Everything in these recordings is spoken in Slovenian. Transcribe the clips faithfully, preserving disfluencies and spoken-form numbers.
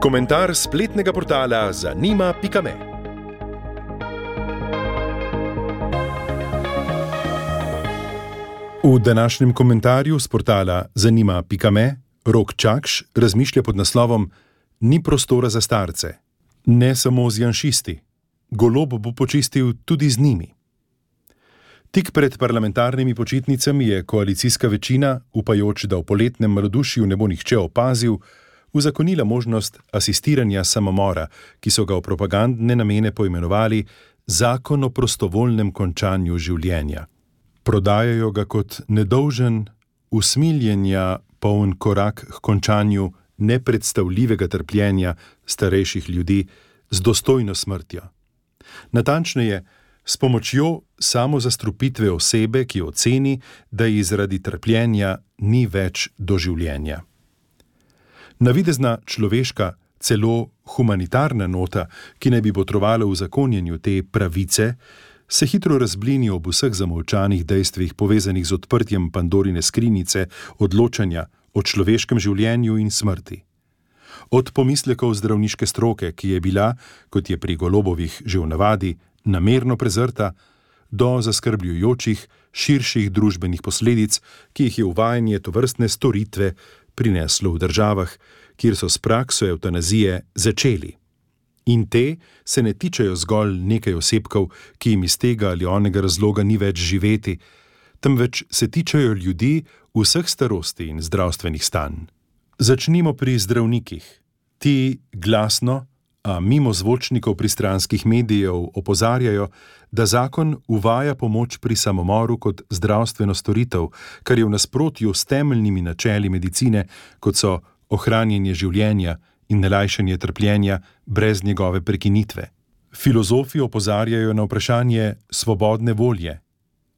Komentar spletnega portala zanima pika me. V današnjem komentarju s portala zanima pika me Rok Čakš razmišlja pod naslovom Ni prostora za starce. Ne samo z janšisti. Golob bo počistil tudi z njimi. Tik pred parlamentarnimi počitnicami je koalicijska večina, upajoč, da v poletnem malodušju ne bo nihče opazil, uzakonila možnost asistiranja samomora, ki so ga v propagandne namene poimenovali Zakon o prostovoljnem končanju življenja. Prodajajo ga kot nedolžen, usmiljenja poln korak k končanju nepredstavljivega trpljenja starejših ljudi z dostojno smrtjo. Natančneje, s pomočjo samozastrupitve osebe, ki oceni, da ji zaradi trpljenja ni več do življenja. Navidezna človeška, celo humanitarna nota, ki naj bi botrovala v zakonjenju te pravice, se hitro razblini ob vseh zamolčanih dejstvih povezanih z odprtjem Pandorine skrinjice odločanja o človeškem življenju in smrti. Od pomislekov zdravniške stroke, ki je bila, kot je pri Golobovih že v navadi, namerno prezrta, do zaskrbljujočih, širših družbenih posledic, ki jih je uvajanje tovrstne storitve prineslo v državah, kjer so s prakso evtanazije začeli. In te se ne tičejo zgolj nekaj osebkov, ki jim iz tega ali onega razloga ni več živeti, temveč se tičejo ljudi vseh starosti in zdravstvenih stanj. Začnimo pri zdravnikih. Ti glasno, a mimo zvočnikov pristranskih medijev opozarjajo, da zakon uvaja pomoč pri samomoru kot zdravstveno storitev, kar je v nasprotju s temeljnimi načeli medicine, kot so ohranjanje življenja in nelajšanje trpljenja brez njegove prekinitve. Filozofi opozarjajo na vprašanje svobodne volje.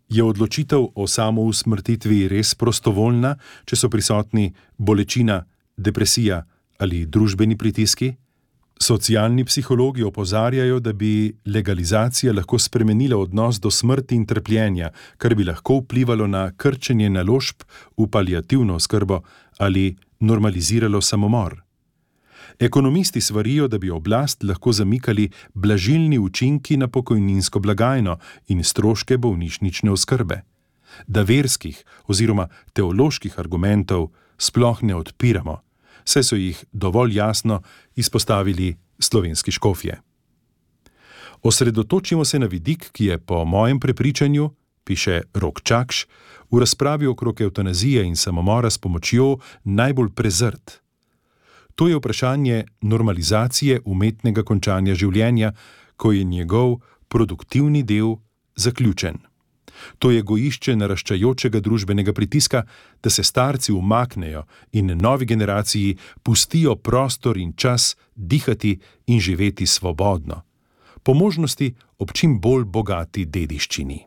Je odločitev o samousmrtitvi res prostovoljna, če so prisotni bolečina, depresija ali družbeni pritiski? Socialni psihologi opozarjajo, da bi legalizacija lahko spremenila odnos do smrti in trpljenja, kar bi lahko vplivalo na krčenje naložb v paliativno oskrbo ali normaliziralo samomor. Ekonomisti svarijo, da bi oblast lahko zamikali blažilni učinki na pokojninsko blagajno in stroške bolnišnične oskrbe. Da verskih oziroma teoloških argumentov sploh ne odpiramo, saj so jih dovolj jasno izpostavili slovenski škofje. Osredotočimo se na vidik, ki je po mojem prepričanju, piše Rok Čakš, v razpravi okrog evtanazije in samomora s pomočjo najbolj prezrt. To je vprašanje normalizacije umetnega končanja življenja, ko je njegov produktivni del zaključen. To je gojišče naraščajočega družbenega pritiska, da se starci umaknejo in novi generaciji pustijo prostor in čas dihati in živeti svobodno, po možnosti ob čim bolj bogati dediščini.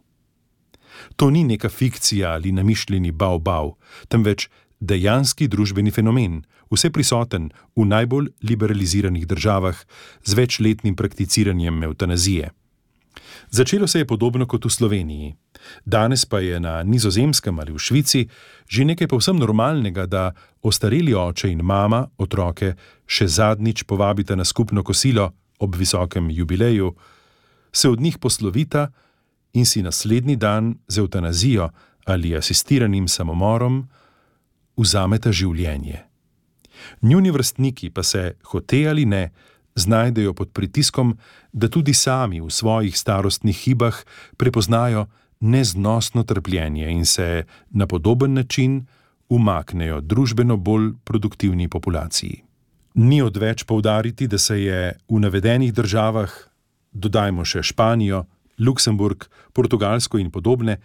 To ni neka fikcija ali namišljeni bav-bav, temveč dejanski družbeni fenomen, vseprisoten v najbolj liberaliziranih državah z večletnim prakticiranjem evtanazije. Začelo se je podobno kot v Sloveniji. Danes pa je na Nizozemskem ali v Švici že nekaj povsem normalnega, da ostareli oče in mama otroke še zadnjič povabita na skupno kosilo ob visokem jubileju, se od njih poslovita in si naslednji dan z evtanazijo ali asistiranim samomorom vzameta življenje. Njuni vrstniki pa se, hote ali ne, znajdejo pod pritiskom, da tudi sami v svojih starostnih hibah prepoznajo neznosno trpljenje in se na podoben način umaknejo družbeno bolj produktivni populaciji. Ni odveč poudariti, da se je v navedenih državah, dodajmo še Španijo, Luksemburg, Portugalsko in podobne,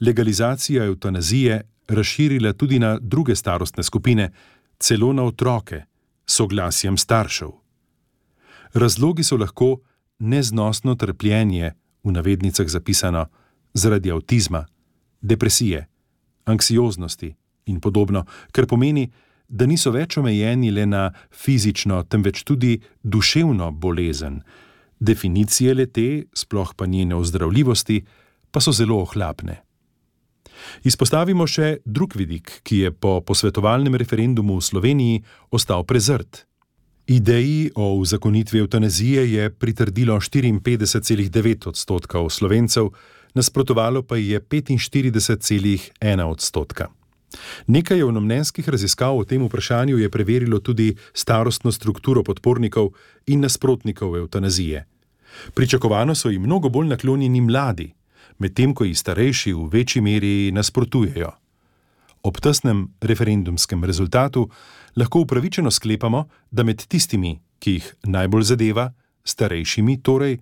legalizacija evtanazije razširila tudi na druge starostne skupine, celo na otroke, s soglasjem staršev. Razlogi so lahko neznosno trpljenje, v navednicah zapisano, zaradi avtizma, depresije, anksioznosti in podobno, kar pomeni, da niso več omejeni le na fizično, temveč tudi duševno bolezen. Definicije le-te, sploh pa njene ozdravljivosti, pa so zelo ohlapne. Izpostavimo še drug vidik, ki je po posvetovalnem referendumu v Sloveniji ostal prezrt. Ideji o uzakonitvi evtanazije je pritrdilo štiriinpetdeset celih devet odstotka Slovencev, nasprotovalo pa je petinštirideset celih ena odstotka. Nekaj javnomnenjskih raziskav o tem vprašanju je preverilo tudi starostno strukturo podpornikov in nasprotnikov evtanazije. Pričakovano so jim mnogo bolj naklonjeni mladi, medtem ko ji starejši v večji meri nasprotujejo. Ob tesnem referendumskem rezultatu lahko upravičeno sklepamo, da med tistimi, ki jih najbolj zadeva, starejšimi torej,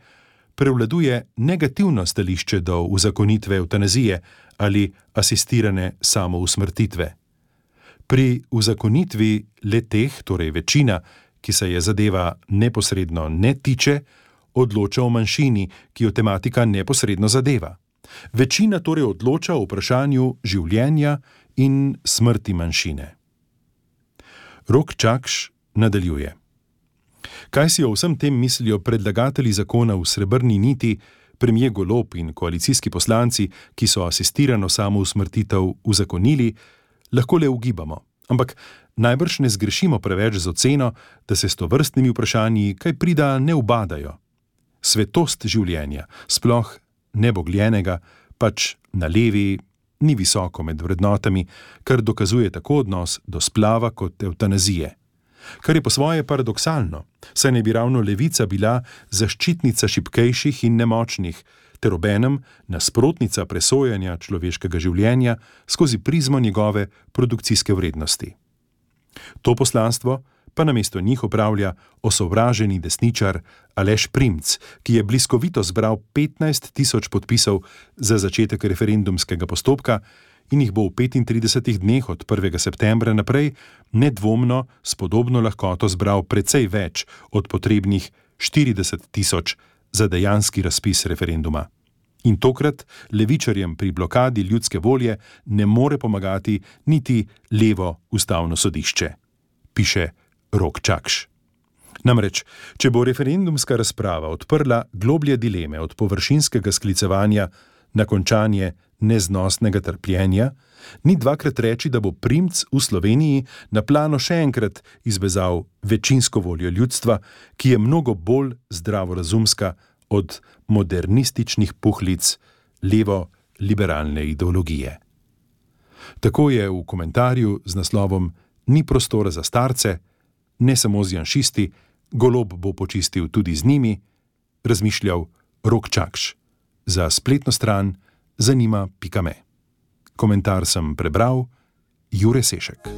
prevladuje negativno stališče do uzakonitve evtanazije ali asistirane samousmrtitve. Pri uzakonitvi le-teh, torej večina, ki se je zadeva neposredno ne tiče, odloča o manjšini, ki jo tematika neposredno zadeva. Večina torej odloča o vprašanju življenja in smrti manjšine. Rok Čakš nadaljuje. Kaj si o vsem tem mislijo predlagatelji zakona v Srebrni niti, premier Golob in koalicijski poslanci, ki so asistirano samousmrtitev uzakonili, lahko le ugibamo. Ampak najbrž ne zgrešimo preveč z oceno, da se s tovrstnimi vprašanji kaj prida ne ubadajo. Svetost življenja, sploh nebogljenega, pač na levi, ni visoko med vrednotami, kar dokazuje tako odnos do splava kot evtanazije. Kar je po svoje paradoksalno, saj ne bi ravno levica bila zaščitnica šibkejših in nemočnih, ter obenem nasprotnica presojanja človeškega življenja skozi prizmo njegove produkcijske vrednosti. To poslanstvo pa namesto njih opravlja osovraženi desničar Aleš Primc, ki je bliskovito zbral petnajst tisoč podpisov za začetek referendumskega postopka in jih bo v petintridesetih dneh od prvega septembra naprej nedvomno s podobno lahkoto zbral precej več od potrebnih štirideset tisoč za dejanski razpis referenduma. In tokrat levičarjem pri blokadi ljudske volje ne more pomagati niti levo ustavno sodišče, piše Rok Čakš. Namreč, če bo referendumska razprava odprla globlje dileme od površinskega sklicevanja na končanje neznosnega trpljenja, ni dvakrat reči, da bo Primc v Sloveniji na plano še enkrat izvezal večinsko voljo ljudstva, ki je mnogo bolj zdravorazumska od modernističnih puhlic levo-liberalne ideologije. Tako je v komentarju z naslovom Ni prostora za starce, ne samo z janšisti, Golob bo počistil tudi z njimi, razmišljal Rok Čakš za spletno stran zanima pika me. Komentar sem prebral Jure Sešek.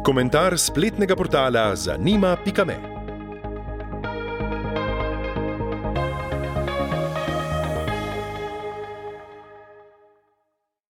Komentar spletnega portala zanima pika me.